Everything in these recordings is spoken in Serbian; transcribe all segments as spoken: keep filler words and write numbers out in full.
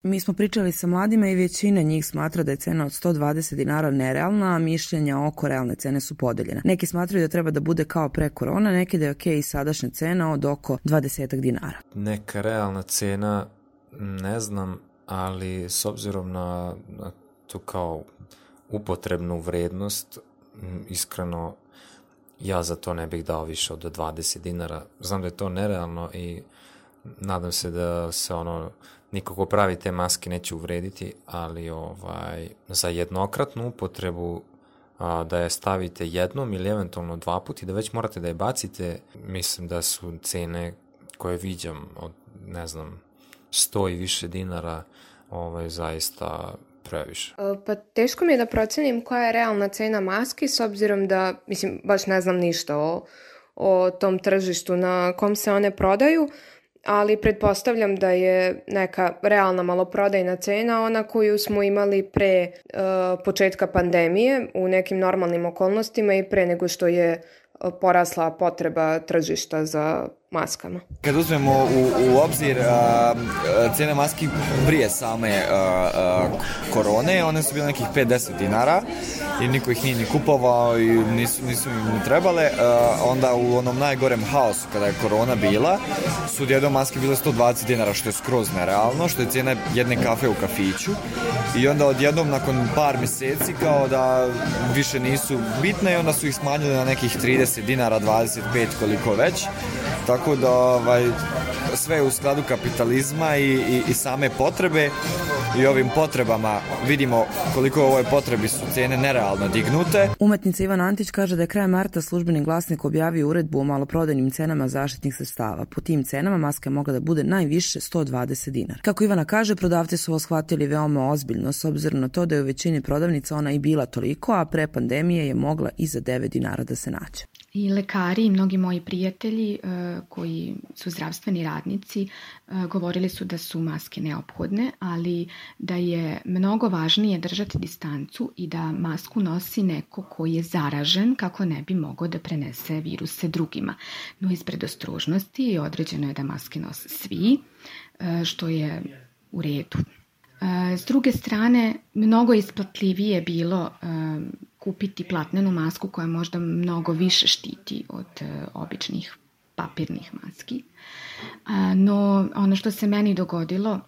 Mi smo pričali sa mladima i većina njih smatra da je cena od sto dvadeset dinara nerealna, a mišljenja oko realne cene su podeljena. Neki smatraju da treba da bude kao pre korona, neki da je okej i sadašnja cena od oko dvadeset dinara. Neka realna cena, ne znam, ali s obzirom na, na tu kao upotrebnu vrednost, iskreno ja za to ne bih dao više od dvadeset dinara. Znam da je to nerealno i nadam se da se ono niko ko pravi te maske neće uvrediti, ali ovaj za jednokratnu upotrebu a, da je stavite jednom ili eventualno dva puta i da već morate da je bacite, mislim da su cene koje viđam od, ne znam, sto i više dinara ovaj, zaista previše. Pa teško mi je da procenim koja je realna cena maski s obzirom da, mislim, baš ne znam ništa o, o tom tržištu na kom se one prodaju, ali pretpostavljam da je neka realna maloprodajna cena ona koju smo imali pre uh, početka pandemije u nekim normalnim okolnostima i pre nego što je porasla potreba tržišta za maskama. Kad uzmemo u, u obzir uh, cijene maski prije same uh, uh, korone, one su bile nekih pet do deset dinara i niko ih nije ni kupovao i nisu, nisu im ni trebale. Uh, onda u onom najgorem haosu kada je korona bila su odjednom maske bile sto dvadeset dinara, što je skroz nerealno, što je cijena jedne kafe u kafiću i onda odjednom nakon par mjeseci kao da više nisu bitne i onda su ih smanjili na nekih trideset dinara, dvadeset pet koliko već. Tako da ovaj, sve je u skladu kapitalizma i, i, i same potrebe i ovim potrebama vidimo koliko u ovoj potrebi su cijene nerealno dignute. Umetnica Ivana Antić kaže da je krajem marta Službeni glasnik objavio uredbu o maloprodajnim cenama zaštitnih sredstava. Po tim cenama maska je mogla da bude najviše sto dvadeset dinara. Kako Ivana kaže, prodavci su ovo shvatili veoma ozbiljno s obzirom na to da je u većini prodavnica ona i bila toliko, a pre pandemije je mogla i za devet dinara da se nađe. I lekari i mnogi moji prijatelji uh, koji su zdravstveni radnici uh, govorili su da su maske neophodne, ali da je mnogo važnije držati distancu i da masku nosi neko koji je zaražen kako ne bi mogao da prenese viruse drugima. No iz predostrožnosti određeno je da maske nose svi, uh, što je u redu. Uh, s druge strane, mnogo isplatljivije je bilo uh, kupiti platnenu masku koja možda mnogo više štiti od uh, običnih papirnih maski. Uh, no, ono što se meni dogodilo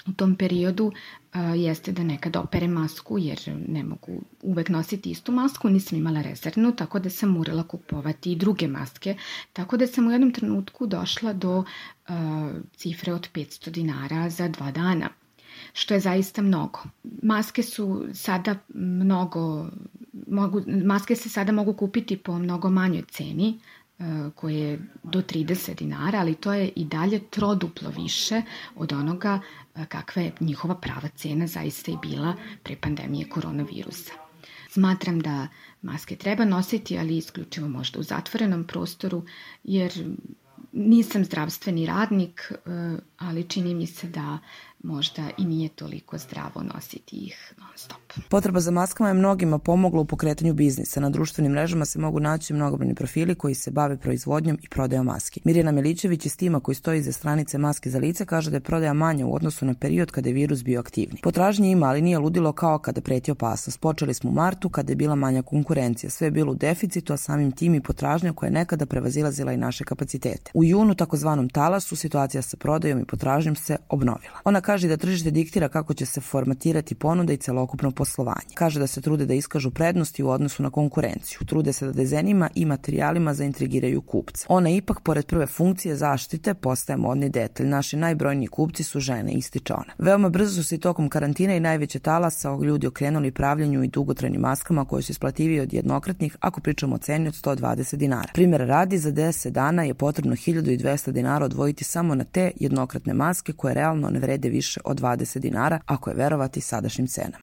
u tom periodu uh, jeste da nekad operem masku jer ne mogu uvek nositi istu masku, nisam imala rezervnu, tako da sam morala kupovati i druge maske, tako da sam u jednom trenutku došla do uh, cifre od petsto dinara za dva dana. Što je zaista mnogo. Maske su sada mnogo, mogu, maske se sada mogu kupiti po mnogo manjoj ceni, koje je do trideset dinara, ali to je i dalje troduplo više od onoga kakva je njihova prava cena zaista i bila pre pandemije koronavirusa. Smatram da maske treba nositi, ali isključivo možda u zatvorenom prostoru, jer nisam zdravstveni radnik, ali čini mi se da možda i nije toliko zdravo nositi ih non stop. Potreba za maskama je mnogima pomogla u pokretanju biznisa. Na društvenim mrežama se mogu naći mnogobrojni profili koji se bave proizvodnjom i prodajom maski. Mirjana Milićević iz tima koji stoji iza stranice Maske za lice kaže da je prodaja manja u odnosu na period kada je virus bio aktivni. Potražnje ima, ali nije ludilo kao kada preti opasnost. Počeli smo u martu kada je bila manja konkurencija. Sve je bilo u deficitu, a samim tim i potražnja koja je nekada prevazilazila i naše kapacitete. U junu, takozvanom talasu, situacija sa prodajom i potražnjom se obnovila. Ona kaže da tržište diktira kako će se formatirati ponuda i celokupno poslovanje. Kaže da se trude da iskažu prednosti u odnosu na konkurenciju. Trude se da dizajnima i materijalima zaintrigiraju kupca. Ona ipak, pored prve funkcije zaštite, postaje modni detalj. Naši najbrojniji kupci su žene, ističe ona. Veoma brzo su se i tokom karantina i najveće talasa ljudi okrenuli pravljenju i dugotrajnim maskama koje su isplativije od jednokratnih ako pričamo o ceni od sto dvadeset dinara. Primjer radi, za deset dana je potrebno hiljadu dvesta dinara odvojiti samo na te jednokratne maske koje realno ne vrede više od dvadeset dinara ako je verovati sadašnjim cenama.